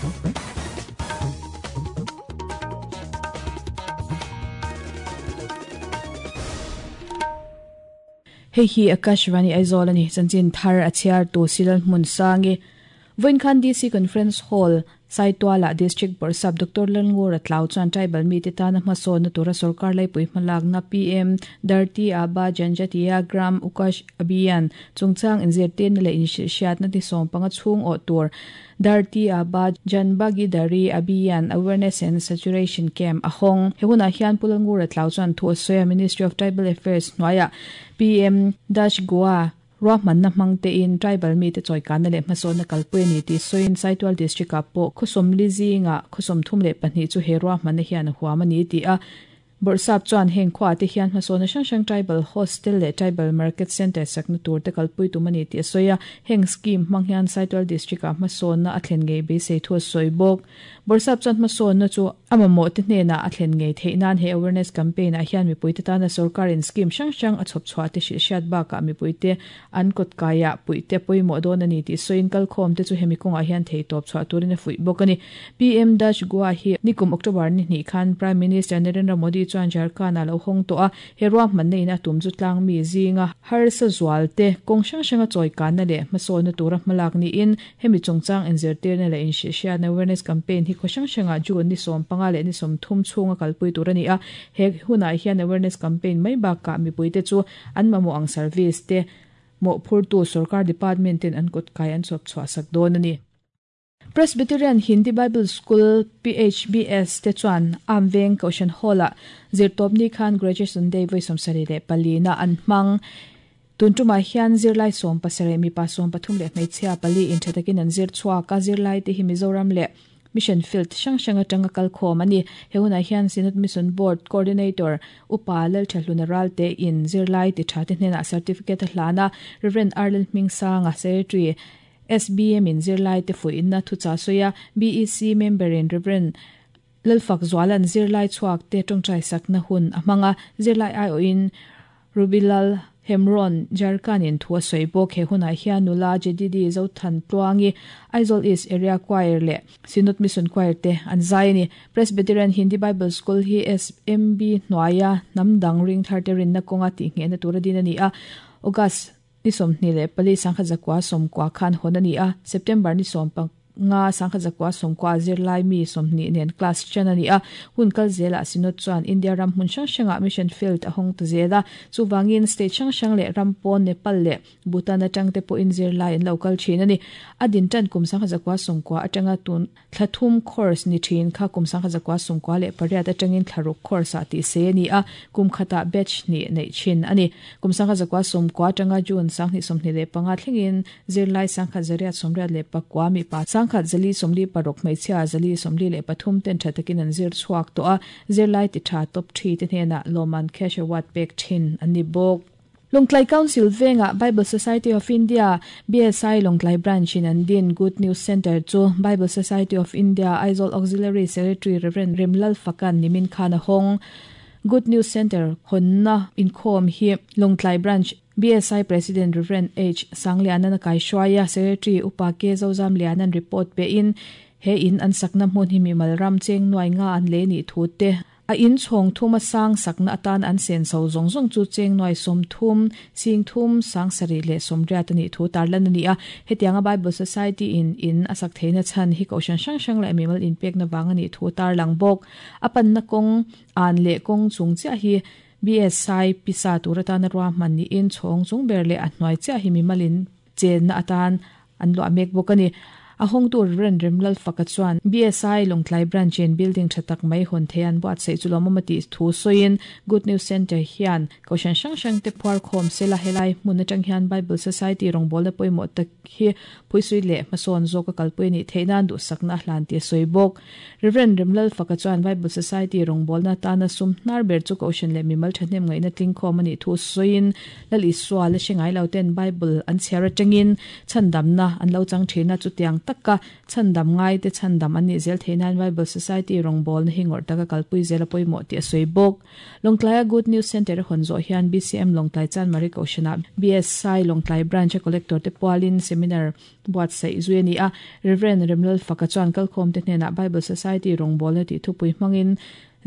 Hei hi Akashvani Aizawl a ni. Chanchin thar a chhiar tu Silal Hmunsangi. Vawiin khan DC Conference Hall, Saitualah District Bawrhsap Doctor Lalngura Tlau chuan tribal mite tana hmasawnna tura sorkar laipui hmalakna PM Dharti Aaba Janjatiya Gram Ukash Abhiyan chungchang inzirtirna leh inhrilhhriatna ni 15 chhung awh tur Dharti Aaba Janbhagidari Abhiyan Awareness and Saturation Camp a hawng. He hunah hian Pu Lalngura Tlau chuan thu a sawi a, Ministry of Tribal Affairs hnuaiah PM Dash Goa Ruahmanna hmang tein tribal mite chawikanna leh hmasawnna kalpui a ni tih sawiin Saitual District-ah pawh khaw sawmli zingah khaw 32 chu he ruahmanna hian a huam a ni ti a. Bawrhsap chuan heng khuaah te hian hmasawnna hrang hrang Tribal Hostel leh Tribal Market Centre sakna tur te kalpui tum a ni tih a sawi a. Heng scheme hmang hian Saitual District-ah hmasawnna a thlen ngei beisei thu a sawi bawk. Bawrhsap chuan hmasawnna chu a mamawhte hnenah a thlen ngei theih nan he awareness campaign ah hian mipuite tana sorkarin scheme hrang hrang a chhawp chhuah te hrilh hriat bakah mipuite an kawt kaiah puihte pawimawh dawn a ni tih sawiin kalkhawm te chu hemi kawngah hian theitawp chhuah turin a fuih bawk a ni. PM Dash Goa hi nikum October ni hnih khan Prime Minister Narendra Modi chuan Jharkhand ah lo hawng tawh a, He ruahmanna in a tum chu tlangmi zinga harsa zual te, kawng hrang hranga chawikanna leh hmasawnna tura hmalak niin hemi chungchang inzirtirna leh inhrilhhriatna awareness campaign hi khaw hrang hrangah June ni 15 leh ni 30 chhunga kalpui tur a ni a. He hunah hian awareness campaign mai bakah mipuite chu an mamawh ang service te mawhphurtu sorkar department ten an kawtkai an chhawp chhuah sak dawn a ni. Presbyterian Hindi Bible School, PHBS, te chuan Am Veng Kohhran Hall-ah Zirtawpni khan Graduation Day vawi 74 na an hmang. Tun tumah hian zirlai 17, mipa 13 leh hmeichhia pali in tha takin an zir chhuak a, zirlai te hi Mizoram leh Mission Field hrang hrang atanga kal khawm a ni. He hunah hian Synod Mission Board Coordinator Upa Lalthahluna Ralte in zirlai ti tha te hnenah certificate a hlan a, Rev. Arlel Hmingsanga, Secretary, SBM in zirlaite fuihna thuchah sawi a, BEC member in Rev. Lalfak Zuala'n zirlai chhuak te tawngtai sakna hun a hmang a, zirlai aiawhin Rubilal Hemron Jharkhand in thu a sawi bawk. He hunah hian nula Jedidi Zothan Tluangi, Aizawl East Area Choir leh Synod Mission Choir te an zai a ni. Presbyterian Hindi Bible School hi SMB hnuaia hnam dang ringthar te rinna kawnga tihnghehna tura din a ni a, August Ni 24 1990 khan hawn a ni a, September ni 15 1990 zirlai mi 20 nen class ṭan a ni a. Hun kal zelah Synod chuan India ram hmun hrang hrangah mission field a hawng ta zel a, chuvangin state hrang hrang leh ram pawn Nepal leh Bhutan aṭangte pawhin zirlai an lo kal ṭhin a ni. A din ṭan kum 1990 aṭanga tun Thla thum course ni thin kha kum 1998 atangin thla ruk course ah tih se a ni a, kum khatah batch hnih neih thin a ni. Kum 1990 atanga June 2025 thlengin zirlai 1189 mipa 1146 hmeichhia 443 ten tha takin an zir chhuak tawh a, zirlai ti tha top thi te hnenah lawmman cash award pek thin an ni bawk. Lawngtlai Council vengah Bible Society of India, BSI, Lawngtlai Branch in an din Good News Centre chu Bible Society of India Aizawl Auxiliary Secretary Rev. Remlal Fakan nimin khan a hawng. Good News Centre hawnna inkhawm hi Lawngtlai Branch BSI President Rev. H. Sanglianan a kaihruai a, Secretary Upa K. Zozamlianan report pein he in an sakna hmun hi mimal ram cheng nuai nga an lei nih thu te A in chhawng thuma sang sakna atan an sen so zawng zawng chu cheng nuai 30, sing thum, sang sarih leh 80 a nih thu tarlan a ni a. Hetianga Bible Society in in a sak theihna chhan hi kohhran hrang hrang leh mimal inpekna vang a nih thu tarlang bawk. A panna kawng an leh kawng chung chiah hi BSI pisa tur atana ruahman niin chhawng chung ber leh a hnuai chiah hi mimal in chenna atan an luah mek bawk a ni. A hawngtu Rev. Remlalfaka chuan BSI Lawngtlai Branch in building tha tak mai hawn thei an buatsaih chu lawmawm a tih thu sawiin Good News Centre hian Kohhran hrang hrang te phuar khawm sela helai hmun atang hian Bible Society rawngbawlna pawimawh tak hi phuisui leh hmasawn zawk a kalpui a nih theih nan duhsakna a hlan tih a sawi bawk. Rev. Remlalfaka chuan Bible Society rawngbawlna atana sum hnar ber chu Kohhran leh mimal thahnem ngaihna tling khawm a nih thu sawiin Lal Isua la hre ngai lo ten Bible an chhiar atangin chhandamna an lo chang thin a, chutiang taka chhandam ngaite chhandam an nih zel theih nan Bible Society rawngbawlna hi ngawrh taka kalpui zel a pawimawh tih a sawi bawk. Lawngtlaia Good News Centre a hawn zawh hian BCM Lawngtlai Chanmari Kohhranah BSI Lawngtlai Branch-a Collector te pualin Seminar buatsaih zui a ni a. Rev. Remlalfaka chuan kalkhawmte hnenah Bible Society rawngbawlna tih thupui hmangin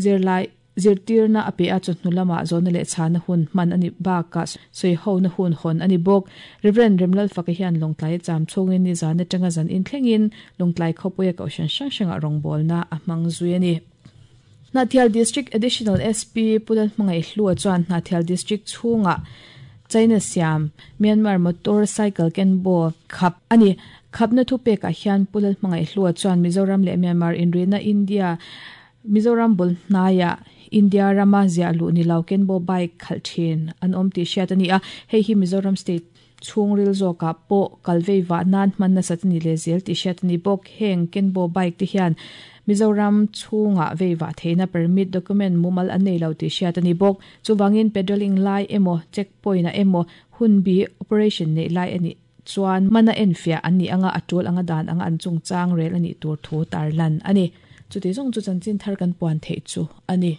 zirlai zirtirna a pe a, chawhnu lamah zawhna leh chhana hun hman a ni bakah sawihona hun hawn a ni bawk. Rev. Remlalfaka hian Lawngtlai a cham chhungin nizan atanga zan inthlengin Lawngtlai khawpuia kohhran hrang hrangah rawngbawlna a hmang zui a ni. Hnahthial District Additional SP Pu Lalhmangaihhlua chuan Hnahthial District chhungah China siam Myanmar Motor Cycle Kenbo khap a ni. Khapna thupekah hian Pu Lalhmangaihhlua chuan Mizoram leh Myanmar inrina India Mizoram bul hnaiah India rama ziah luh ni lo Kenbo bike khalh thin an awm tih hriat a ni a, hei hi Mizoram State chhungril zawkah pawh kal vei vah nan hman nasat a ni leh zel tih hriat a ni bawk. Heng Kenbo bike te hian Mizoram chhungah vei vah theihna permit document mumal an nei lo tih hriat a ni bawk. Chuvangin pedaling lai emaw check point ah emaw hunbi operation neih lai a nih chuan mana enfiah an nih anga a tul anga dan anga an chungchang rel a nih tur thu tarlan a ni. Chuti zawng chu chanchin thar kan puan theih chu a ni.